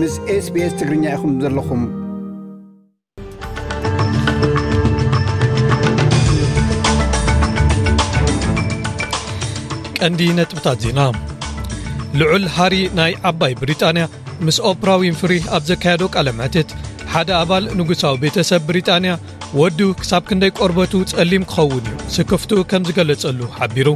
ምስ SBS ትግርኛ ኢኹም ዘለኹም። ቀንዲ ነጥብታት ዜና። ልዑል ሃሪ ናይ ዓባይ ብሪጣንያ ምስ ኦፕራ ዊንፍሪ ኣብ ዘካየዶ ቃለ መሕትት፣ ሓደ ኣባል ንጉሳዊ ቤተሰብ ብሪጣንያ ወዱ ክሳብ ክንደይ ቆርበቱ ጸሊም ክኸውን እዩ ስክፍትኡ ከም ዝገለጸሉ ሓቢሩ።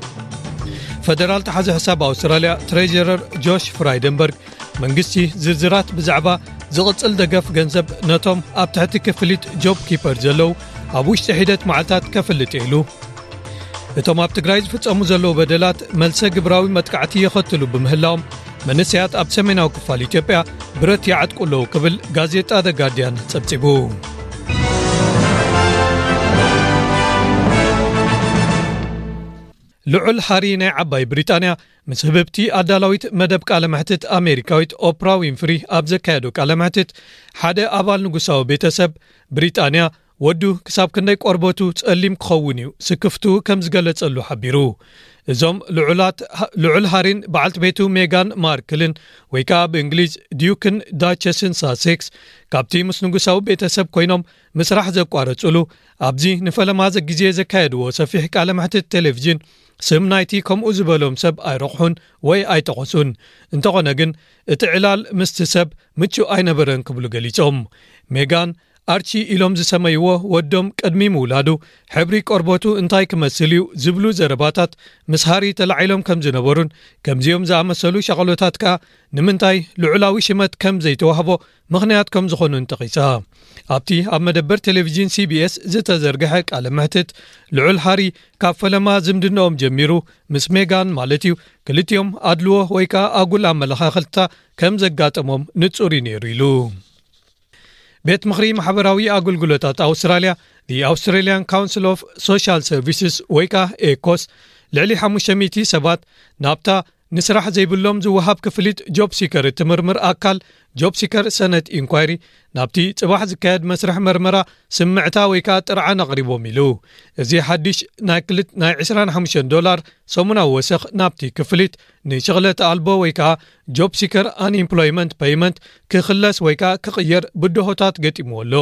ፈደራል ተሓዚ ሕሳብ ኣውስትራልያ ትሬጀረር ጆሽ ፍራይደንበርግ፣ መንግስቲ ዝርዝራት ብዛዕባ ዝቕጽል ደገፍ ገንዘብ ነቶም ኣብ ትሕቲ ክፍሊት ጆብ ኪፐር ዘለዉ ኣብ ውሽጢ ሒደት መዓልታት ከፍልጥ ኢሉ። እቶም ኣብ ትግራይ ዝፍጸሙ ዘለዉ በደላት መልሰ ግብራዊ መጥቃዕቲ የኸትሉ ብምህላዎም፣ መንእሰያት ኣብ ሰሜናዊ ክፋል ኢትዮጵያ ብረት ይዓጥቁ ኣለዉ ክብል ጋዜጣ ዘ ጋርዲያን ጸብጺቡ። ልዑል ሃሪ ናይ ዓባይ ብሪጣንያ ምስ ህብብቲ ኣዳላዊት መደብ ቃለ መሕትት ኣሜሪካዊት ኦፕራ ዊንፍሪ ኣብ ዘካየዶ ቃለ መሕትት፣ ሓደ ኣባል ንጉሳዊ ቤተሰብ ብሪጣንያ ወዱ ክሳብ ክንደይ ቆርበቱ ጸሊም ክኸውን እዩ ስክፍቱ ከም ዝገለጸሉ ሓቢሩ። እዞም ልዑላት፣ ልዑል ሃሪን በዓልቲ ቤቱ ሜጋን ማርክልን፣ ወይ ከኣ ብእንግሊዝ ዲዩክን ዳቸስን ሳሴክስ፣ ካብቲ ምስ ንጉሳዊ ቤተሰብ ኮይኖም ምስራሕ ዘቋረጹሉ፣ ኣብዚ ንፈለማ ግዜ ዘካየድዎ ሰፊሕ ቃለ መሕትት ቴሌቪዥን፣ ስም ናይቲ ከምኡ ዝበሎም ሰብ ኣይረቑሑን ወይ ኣይጠቐሱን። እንተኾነ ግን፣ እቲ ዕላል ምስቲ ሰብ ምቹእ ኣይነበረን ክብሉ ገሊጾም። ሜጋን፣ ኣርቺ ኢሎም ዝሰመይዎ ወዶም ቅድሚ ምውላዱ፣ ሕብሪ ቆርበቱ እንታይ ክመስል እዩ ዝብሉ ዘረባታት ምስ ሃሪ ተላዒሎም ከም ዝነበሩን፣ ከምዚኦም ዝኣመሰሉ ሻቕሎታት ከኣ ንምንታይ ልዑላዊ ሽመት ከም ዘይተዋህቦ ምኽንያት ከም ዝኾኑን ጠቒሳ። ኣብቲ ኣብ መደበር ቴሌቪዥን ሲ ቢ ኤስ ዝተዘርግሐ ቃለ መሕትት፣ ልዑል ሃሪ ካብ ፈለማ ዝምድናኦም ጀሚሩ ምስ ሜጋን ማለት እዩ፣ ክልቲኦም ኣድልዎ ወይ ከኣ ኣጉል ኣመለኻኽልታ ከም ዘጋጠሞም ንጹር እዩ ነይሩ ኢሉ። ቤት ምኽሪ ማሕበራዊ ኣገልግሎታት ኣውስትራልያ፣ The Australian Council of Social Services ወይ ከኣ ኤኮስ፣ ልዕሊ ሓሙሽተ ሚእቲ ሰባት ናብታ ንስራሕ ዘይብሎም ዝወሃብ ክፍሊት ጆብ ሲከር እትምርምር ኣካል ጆብ ሲከር ሰነት ኢንኳይሪ ናብቲ ጽባሕ ዝካየድ መስርሕ መርመራ ስምዕታ ወይ ከኣ ጥርዓን ኣቕሪቦም ኢሉ። እዚ ሓድሽ ናይ ክልት-፣ ናይ ዕስራን ሓሙሽተን ዶላር ሰሙናዊ ወሰኽ ናብቲ ክፍሊት ንሽቕለት ኣልቦ ወይ ከኣ ጆብ ሲከር ኣንኤምፕሎይመንት ፔይመንት ክኽለስ ወይ ከኣ ክቕየር ብድሆታት ገጢምዎ ኣሎ።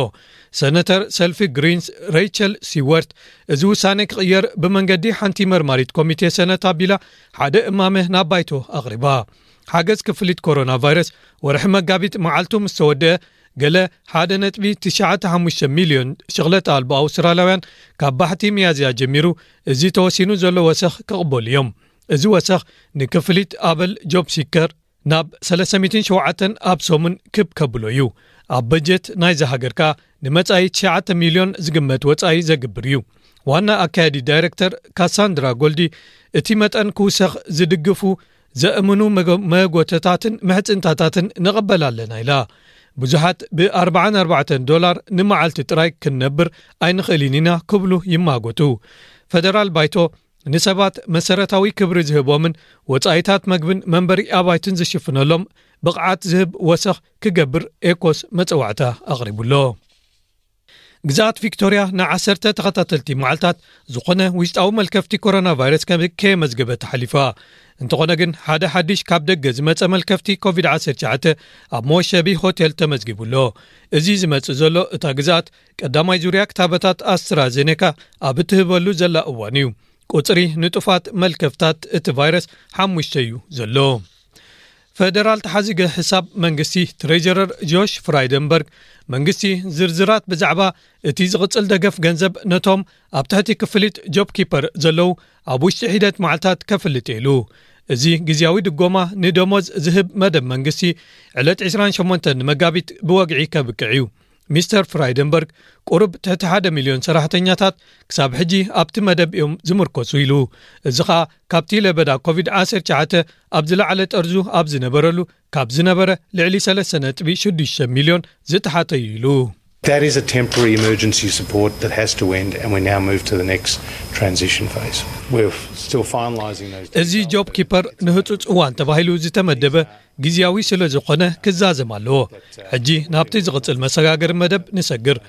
ሰነተር ሰልፊ ግሪንስ ሬይቸል ሲወርት፣ እዚ ውሳነ ክቕየር ብመንገዲ ሓንቲ መርማሪት ኮሚቴ ሰነት ኣቢላ ሓደ እማመ ናብ ባይቶ ኣቕሪባ። ሓገዝ ክፍሊት ኮሮና ቫይረስ ወርሒ መጋቢት መዓልቱ ምስ ተወደአ፣ ገለ ሓደ ነጥቢ ትሽዓተ ሓሙሽተ ሚልዮን ሽቕለት ኣልቦ ኣውስትራልያውያን ካብ ባሕቲ ሚያዝያ ጀሚሩ እዚ ተወሲኑ ዘሎ ወሰኽ ክቕበሉ እዮም። እዚ ወሰኽ ንክፍሊት ኣበል ጆብ ሲከር ናብ ሰለስተ ሚእትን ሸውዓተን ኣብ ሰሙን ክብ ከብሎ እዩ። ኣብ በጀት ናይዛ ሃገር ከኣ ንመጻኢ ትሽዓተ ሚልዮን ዝግመት ወጻኢ ዘግብር እዩ። ዋና ኣካያዲ ዳይረክተር ካሳንድራ ጎልዲ፣ እቲ መጠን ክውሰኽ ዝድግፉ ዘእምኑ መጎ-፣ መጎተታትን ምሕጽንታታትን ንቕበል ኣለና ኢላ። ብዙሓት ብኣርባዓን ኣርባዕተን ዶላር ንመዓልቲ ጥራይ ክንነብር ኣይንኽእልን ኢና ክብሉ ይማጎቱ። ፈደራል ባይቶ ንሰባት መሰረታዊ ክብሪ ዝህቦምን ወጻኢታት መግብን መንበሪ ኣባይትን ዝሽፍነሎም ብቕዓት ዝህብ ወሰኽ ክገብር ኤኮስ መጸዋዕታ ኣቕሪቡሎ። ግዝኣት ቪክቶርያ ንዓሰርተ ተኸታተልቲ መዓልታት ዝኾነ ውሽጣዊ መልከፍቲ ኮሮና ቫይረስ ከም ከየመዝገበት ሓሊፋ። እንተኾነ ግን፣ ሓደ ሓድሽ ካብ ደገ ዝመጸ መልከፍቲ ኮቪድ ዓሰርተ ትሽዓተ ኣብ መወሸቢ ሆቴል ተመዝጊቡ ኣሎ። እዚ ዝመጽእ ዘሎ፣ እታ ግዝኣት ቀዳማይ ዙርያ ክታበታት ኣስትራዜኔካ ኣብ እትህበሉ ዘላ እዋን እዩ። ቁጽሪ ንጡፋት መልከፍታት እቲ ቫይረስ ሓሙሽተ እዩ ዘሎ። ፈደራል ተሓዚገ ሕሳብ መንግስቲ ትሬጀረር ጆሽ ፍራይደንበርግ፣ መንግስቲ ዝርዝራት ብዛዕባ እቲ ዝቕጽል ደገፍ ገንዘብ ነቶም ኣብ ትሕቲ ክፍሊት ጆብ ኪፐር ዘለዉ ኣብ ውሽጢ ሒደት መዓልታት ከፍልጥ ኢሉ። እዚ ግዝያዊ ድጎማ ንደሞዝ ዝህብ መደብ መንግስቲ ዕለት ዕስራን ሸሞንተን መጋቢት ብወግዒ ከብቅዕ እዩ። ሚስተር ፍራይደንበርግ፣ ቁሩብ ትሕቲ ሓደ ሚልዮን ሰራሕተኛታት ክሳብ ሕጂ ኣብቲ መደብ እዮም ዝምርኮሱ ኢሉ። እዚ ኸኣ ካብቲ ለበዳ ኮቪድ ዓሰርተ ትሽዓተ ኣብ ዝለዓለ ጠርዙ ኣብ ዝነበረሉ፣ ካብ ዝነበረ ልዕሊ ሰለስተ ነጥቢ ሽዱሽተ ሚልዮን ዝተሓተ እዩ ኢሉ። That is a temporary emergency support that has to end, and we now move to the next transition phase. We're still finalising those እዚ details, ጆብ but ኪፐር ንህጹጽ እዋን ተባሂሉ ዝተመደበ ግዝያዊ ስለ ዝኾነ ክዛዘም ኣለዎ። ሕጂ ናብቲ ዝቕጽል መሰጋገሪ መደብ ንሰግር።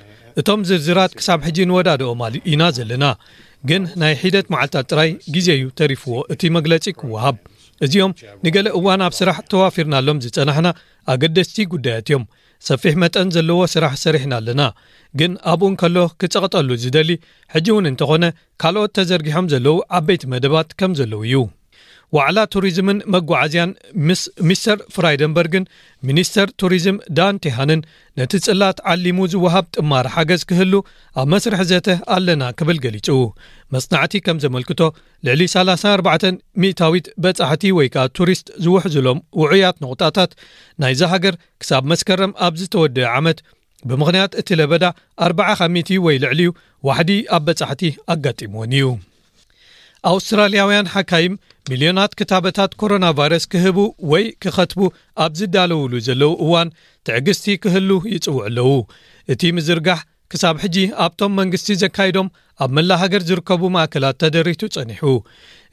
እቶም ዝርዝራት ክሳብ ሕጂ ንወዳድኦም ኣል-፣ ኢና ዘለና። ግን ናይ ሒደት መዓልታት ጥራይ ግዜ እዩ ተሪፍዎ እቲ መግለጺ ክወሃብ። እዚኦም ንገለ እዋን ኣብ ስራሕ ተዋፊርናሎም ዝጸናሕና ኣገደስቲ ጉዳያት እዮም። ሰፊሕ መጠን ዘለዎ ስራሕ ሰሪሕና ኣለና፣ ግን ኣብኡ እንከሎ ክጸቕጠሉ ዝደሊ፣ ሕጂ እውን እንተኾነ ካልኦት ተዘርጊሖም ዘለዉ ዓበይቲ መደባት ከም ዘለዉ እዩ። ዋዕላ ቱሪዝምን መጓዓዝያን ምስ ሚስተር ፍራይደንበርግን ሚኒስተር ቱሪዝም ዳን ቴሃንን ነቲ ጽላት ዓሊሙ ዝወሃብ ጥማር ሓገዝ ክህሉ ኣብ መስርሕ ዘተ ኣለና ክብል ገሊጹ። መጽናዕቲ ከም ዘመልክቶ፣ ልዕሊ ሰላሳ ኣርባዕተ ሚእታዊት በጻሕቲ ወይ ከኣ ቱሪስት ዝውሕዙሎም ውዑያት ነቑጣታት ናይዛ ሃገር ክሳብ መስከረም ኣብ ዝተወደአ ዓመት ብምኽንያት እቲ ለበዳ ኣርባዓ ካብ ሚእቲ ወይ ልዕሊኡ ዋሕዲ ኣብ በጻሕቲ ኣጋጢምዎን እዩ። ኣውስትራልያውያን ሓካይም ሚልዮናት ክታበታት ኮሮና ቫይረስ ክህቡ ወይ ክኸትቡ ኣብ ዝዳለውሉ ዘለዉ እዋን ትዕግስቲ ክህሉ ይጽውዑ ኣለዉ። እቲ ምዝርጋሕ ክሳብ ሕጂ ኣብቶም መንግስቲ ዘካይዶም ኣብ መላ ሃገር ዝርከቡ ማእከላት ተደሪቱ ጸኒሑ።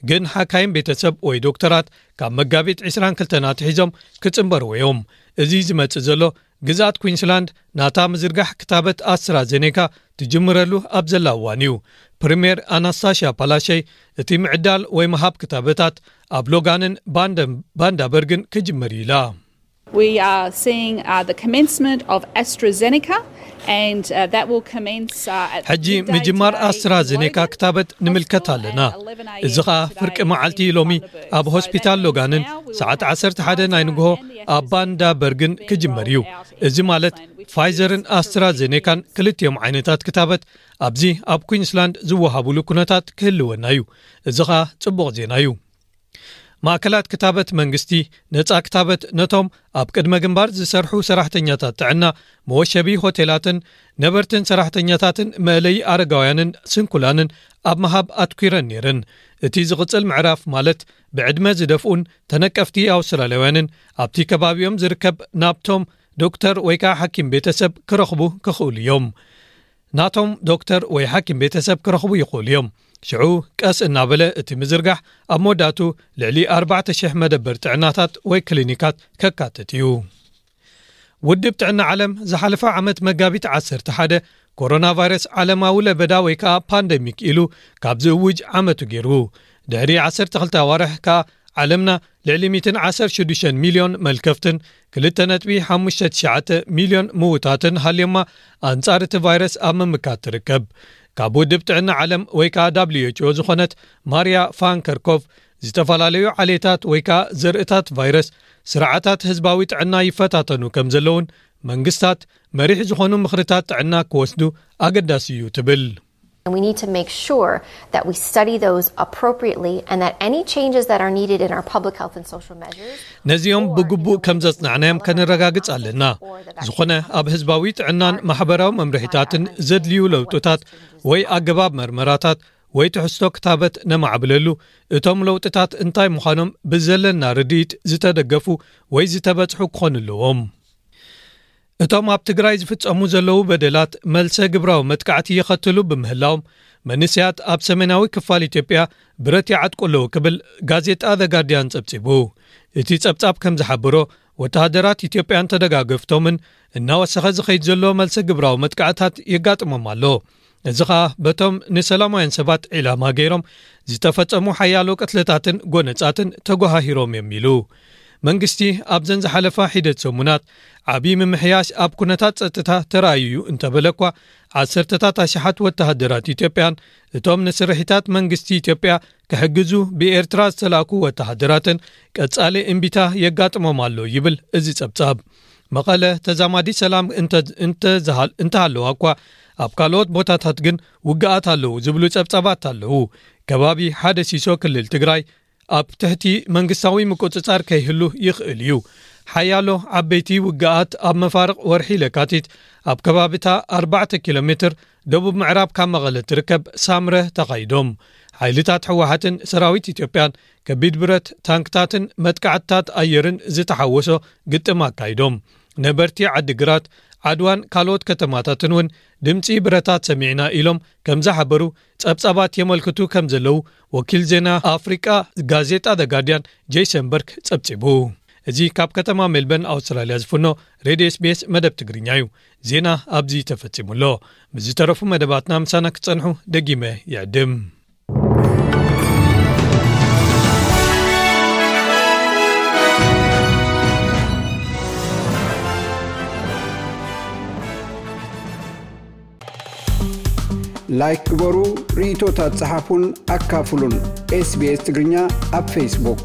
ግን ሓካይም ቤተሰብ ወይ ዶክተራት ካብ መጋቢት ዕስራን ክልተን ኣትሒዞም ክጽንበርዎ እዮም። እዚ ዝመጽእ ዘሎ ግዝኣት ኩንስላንድ ናታ ምዝርጋሕ ክታበት ኣስትራዜኔካ ትጅምረሉ ኣብ ዘላ እዋን እዩ። ፕሪምየር ኣናስታሽያ ፓላሸይ እቲ ምዕዳል ወይ ምሃብ ክታበታት ኣብ ሎጋንን ባንደን-፣ ባንዳበርግን ክጅመር እዩ ኢላ። We are seeing uh, the commencement of AstraZeneca, and uh, that will commence uh, at ሕጂ midday ምጅማር today in ኣስትራዜኔካ Logan ክታበት ንምልከት Hospital ኣለና። and eleven a.m. እዚ ኸኣ today ፍርቂ in መዓልቲ ሎሚ Bundaberg. ኣብ So ሆስፒታል that ሎጋንን now we will ሰዓት have ዓሰርተ ሓደ ናይ Pfizer ንግሆ and the ኣብ AstraZeneca ባንዳበርግን being ክጅመር እዩ። rolled out in እዚ ማለት Queensland, which is ፋይዘርን consistent with ኣስትራዜኔካን ክልቲኦም ዓይነታት ክታበት ኣብዚ ኣብ ኩንስላንድ ዝወሃቡሉ ኩነታት ክህልወና እዩ። እዚ ኸኣ ጽቡቕ ዜና እዩ። ማእከላት ክታበት መንግስቲ ነጻ ክታበት ነቶም ኣብ ቅድመ ግንባር ዝሰርሑ ሰራሕተኛታት ጥዕና፣ መወሸቢ ሆቴላትን ነበርትን ሰራሕተኛታትን መእለዪ ኣረጋውያንን ስንኩላንን ኣብ ምሃብ ኣትኲረን ነይረን። እቲ ዝቕጽል ምዕራፍ ማለት ብዕድመ ዝደፍኡን ተነቀፍቲ ኣውስትራልያውያንን ኣብቲ ከባቢኦም ዝርከብ ናብቶም ዶክተር ወይ ከኣ ሓኪም ቤተሰብ ክረኽቡ ክኽእሉ እዮም። ናቶም ዶክተር ወይ ሓኪም ቤተሰብ ክረኽቡ ይኽእሉ እዮም። ሽዑ ቀስ እናበለ እቲ ምዝርጋሕ ኣብ መወዳእቱ ልዕሊ ኣርባዕተ ሽሕ መደበር ጥዕናታት ወይ ክሊኒካት ከካትት እዩ። ውድብ ጥዕና ዓለም ዝሓለፈ ዓመት መጋቢት ዓሰርተ ሓደ ኮሮና ቫይረስ ዓለማዊ ለበዳ ወይ ከኣ ፓንደሚክ ኢሉ ካብ ዝእውጅ ዓመቱ ገይሩ። ድሕሪ ዓሰርተ ክልተ ኣዋርሕ ከኣ ዓለምና ልዕሊ ሚእትን ዓሰርተ ሽዱሽተ ሚልዮን መልከፍትን ክልተ ነጥቢ ሓሙሽተ ትሽዓተ ሚልዮን ምውታትን ሃልዮማ ኣንጻር እቲ ቫይረስ ኣብ ምምካት ትርከብ። ካብ ውድብ ጥዕና ዓለም ወይ ከኣ ዳብልዩ ኤች ኦ ዝኾነት ማርያ ፋንከርኮቭ፣ ዝተፈላለዩ ዓሌታት ወይ ከኣ ዘርእታት ቫይረስ ስርዓታት ህዝባዊ ጥዕና ይፈታተኑ ከም ዘለውን መንግስታት መሪሕ ዝኾኑ ምኽርታት ጥዕና ክወስዱ ኣገዳሲ እዩ ትብል። And we need to make sure that we study those appropriately and that any changes that are needed in our public health and social measures ነዚኦም ብግቡእ ከም ዘጽናዕናዮም ከነረጋግጽ ኣለና። ዝኾነ ኣብ ህዝባዊ ጥዕናን ማሕበራዊ መምርሒታትን ዘድልዩ ለውጥታት ወይ ኣገባብ መርመራታት ወይ ትሕዝቶ ክታበት ነማዕብለሉ፣ እቶም ለውጥታት እንታይ ምዃኖም ብዘለና ርድኢት ዝተደገፉ ወይ ዝተበጽሑ ክኾኑ ኣለዎም። እቶም ኣብ ትግራይ ዝፍጸሙ ዘለዉ በደላት መልሰ ግብራዊ መጥቃዕቲ የኸትሉ ብምህላዎም፣ መንእሰያት ኣብ ሰሜናዊ ክፋል ኢትዮጵያ ብረት ይዓጥቁ ኣለዉ ክብል ጋዜጣ ዘ ጋርዲያን ጸብጺቡ። እቲ ጸብጻብ ከም ዝሓብሮ፣ ወተሃደራት ኢትዮጵያን ተደጋገፍቶምን እናወሰኸ ዝኸይድ ዘሎ መልሰ ግብራዊ መጥቃዕታት የጋጥሞም ኣሎ። እዚ ኸኣ በቶም ንሰላማውያን ሰባት ዒላማ ገይሮም ዝተፈጸሙ ሓያሎ ቅትለታትን ጎነጻትን ተጓሃሂሮም እዮም ኢሉ። መንግስቲ ኣብዘን ዝሓለፋ ሒደት ሰሙናት ዓቢ ምምሕያሽ ኣብ ኩነታት ጸጥታ ተራእዩ እዩ እንተበለ እኳ፣ ዓሰርተታት ኣሽሓት ወተሃደራት ኢትዮጵያን እቶም ንስርሒታት መንግስቲ ኢትዮጵያ ክሕግዙ ብኤርትራ ዝተላእኩ ወተሃደራትን ቀጻሊ እምቢታ የጋጥሞም ኣሎ ይብል እዚ ጸብጻብ። መቐለ ተዛማዲ ሰላም እንተ-፣ እንተዝሃል-፣ እንተሃለዋ እኳ፣ ኣብ ካልኦት ቦታታት ግን ውግኣት ኣለዉ ዝብሉ ጸብጻባት ኣለዉ። ከባቢ ሓደ ሲሶ ክልል ትግራይ ኣብ ትሕቲ መንግስታዊ ምቁጽጻር ከይህሉ ይኽእል እዩ። ሓያሎ ዓበይቲ ውግኣት ኣብ መፋርቕ ወርሒ ለካቲት ኣብ ከባቢታ ኣርባዕተ ኪሎ ሜትር ደቡብ ምዕራብ ካብ መቐለ ትርከብ ሳምረ ተኻይዶም። ሓይልታት ህወሓትን ሰራዊት ኢትዮጵያን ከቢድ ብረት፣ ታንክታትን መጥቃዕትታት ኣየርን ዝተሓወሶ ግጥም ኣካይዶም። ነበርቲ ዓዲግራት፣ ዓድዋን ካልኦት ከተማታትን እውን ድምጺ ብረታት ሰሚዕና ኢሎም ከም ዝሓበሩ ጸብጻባት የመልክቱ ከም ዘለዉ ወኪል ዜና ኣፍሪቃ ጋዜጣ ዘ ጋርዲያን ጄሰን በርክ ጸብጺቡ። እዚ ካብ ከተማ ሜልበርን ኣውስትራልያ ዝፍኖ ሬድዮ ኤስ ቢ ኤስ መደብ ትግርኛ እዩ። ዜና ኣብዚ ተፈጺሙ ኣሎ። ምስ ዝተረፉ መደባትና ምሳና ክትጸንሑ ደጊመ ይዕድም። ላይክ ግበሩ፣ ርእይቶታት ጸሓፉን ኣካፍሉን። ኤስቢኤስ ትግርኛ ኣብ ፌስቡክ።